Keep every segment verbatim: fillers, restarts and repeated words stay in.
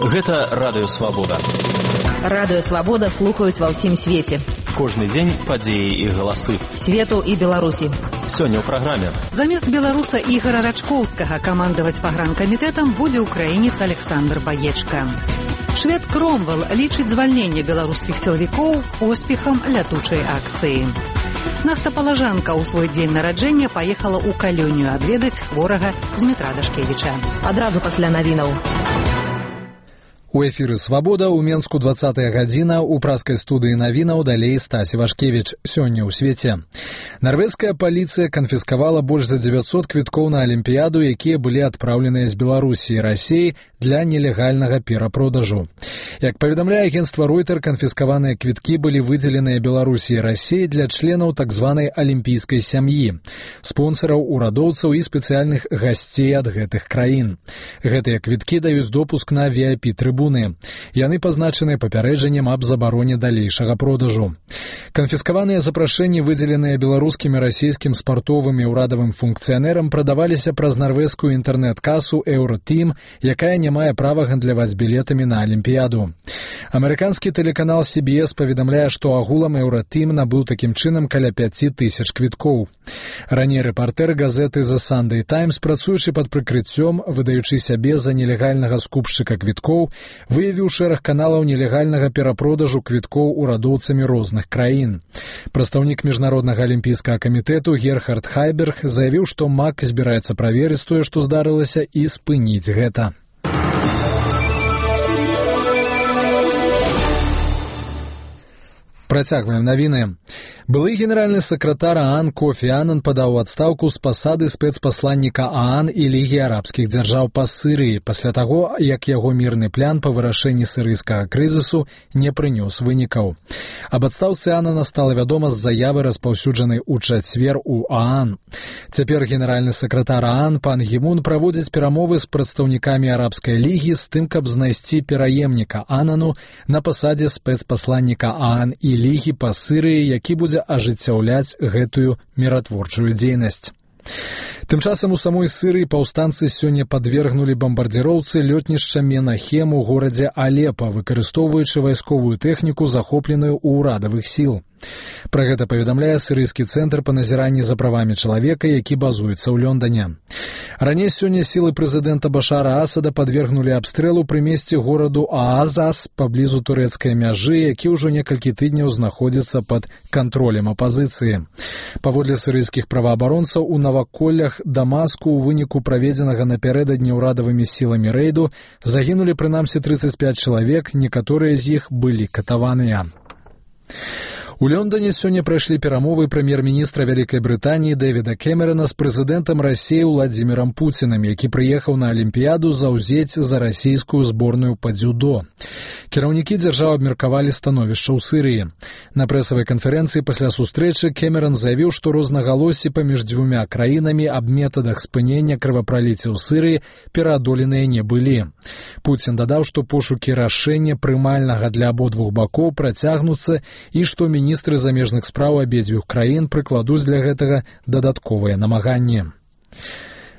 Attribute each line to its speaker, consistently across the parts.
Speaker 1: Гэта Радыё Свабода.
Speaker 2: Радыё Свабода слухаюць ва ўсім свеце.
Speaker 1: Кожны дзень падзеі і галасы
Speaker 2: свету і Беларусі.
Speaker 1: Сёння ў праграме.
Speaker 3: Замест беларуса Ігора Рачкоўскага камандаваць пагранкамітэтам будзе украінец Александр Баечка. Швед Кромвел лічыць звальненне беларускіх сілавікоў поспехам лятучай акцыі. Наста Палажанка ў свой дзень нараджэння паехала ў Калёнію адведаць хворага Змітра Дашкевіча.
Speaker 2: Адразу пасля навінаў.
Speaker 4: У эфіры «Свабода» ў Менску двадцатая гадзіна, у праскай студыі навінаў далей Стасі Вашкевіч. Сёння ў свеце. Нарвежская паліцыя канфіскавала больш за дзевяцьсот квіткоў на Алімпіяду, якія былі адпраўленыя з Беларусі і Расіі для нелегальнага перапродажу. Як паведамляе агенцтва Ройтер, канфіскаваныя квіткі былі выдзеленыя Беларусі і Расіі для членаў так званай алімпійскай сям'і, спонсараў, урадоўцаў і спецыяльных гасцей ад гэтых краін. Гэтыя квіткі даюць допуск на ви ай пі-трыбуны. Яны пазначаны папярэджаннем аб забароне далейшага продажу. Канфіскаваныя запрашэнні, выдзеленыя беларускім і расійскім спартовым і ўрадавым функцыянерам, прадаваліся праз нарвежскую інтэрнэт-касу Еўротім, якая не мае права гандляваць білетамі на Алімпіяду. Амерыканскі тэлеканал Сі Би Эс паведамляе, што агулам Еўротім набыў такім чынам каля пяці тысяч квіткоў. Раней рэпартэр газеты The Sunday Times, працуючы пад прыкрыццём, выдаючы сябе за нелегальнага скупшчыка квіткоў, выявіў шэраг каналаў нелегальнага перапродажу квіткоў урадоўцамі розных краін. Прадстаўнік міжнароднага алімпійскага камітэту Герхард Хайберг заявіў, што МАК збіраецца праверыць тое, што здарылася, і спыніць гэта. Працягваем навіны. Былы генеральны сакратар ААН Кофі Анан падаў у адстаўку з пасады спецпасланніка ААН і Лігі арабскіх дзяржаў па Сырыі пасля таго, як яго мірны план па вырашэнні сырыйскага крызісу не прынёс вынікаў. Аб адстаўцы Анана стала вядома з заявы, распаўсюджанай у чацвер у ААН. Цяпер генеральны сакратар ААН пан Гімун праводзіць перамовы з прадстаўнікамі арабскай лігі з тым, каб знайсці пераемніка Анану на пасадзе спецпасланніка ААН і Лігі па Сырыі, які будзе ажыццяўляць гэтую міратворчую дзейнасць. Тым часам у самой Сырыі паўстанцы сёння падвергнулі бамбардзіроўцы лётнішча Менахем у горадзе Алепа, выкарыстоўваючы вайсковую тэхніку, захопленую ў урадавых сіл. Пра гэта паведамляе сырыйскі цэнтр па назіранні за правамі чалавека, які базуецца ў Лондане. Раней сёння сілы прэзідэнта Башара Асада падвергнулі абстрэлу пры месцы гораду Аазас паблізу турэцкай мяжы, які ўжо некалькі тыдняў знаходзіцца пад кантролем апазіцыі. Паводле сырыйскіх праваабаронцаў, у наваколлях Дамаску ў выніку праведзенага напярэдадні ўрадавымі сіламі рэйду загінулі прынамсі трыццаць пяць чалавек, некаторыя з іх былі катаваныя. У Лондоне сёння прайшлі перамовы прэм'ер-міністра Вялікай Брытаніі Дэвіда Кэмерана з прэзідэнтам Расіі Уладзімірам Пуцінам, які прыехаў на Алімпіяду заўзець за расійскую зборную па дзюдо. Кіраўнікі дзяржаў абмеркавалі становішча ў Сырыі. На прэсавай канферэнцыі пасля сустрэчы Кэмеран заявіў, што рознагалоссі паміж дзвюмя краінамі аб метадах спынення крывапраліцця ў Сырыі пераадоленыя не былі. Пуцін дадаў, што пошукі рашэння прымальнага для абодвух бакоў працягнуцца і што міністр Міністры замежных спраў абедзвюх краін прыкладуць для гэтага дадатковыя намаганні.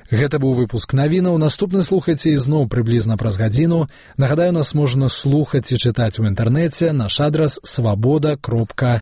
Speaker 4: Гэта быў выпуск навінаў. Наступны слухайце ізноў прыблізна праз гадзіну. Нагадаю, нас можна слухаць і чытаць у інтэрнэце. Наш адрас свабода кропка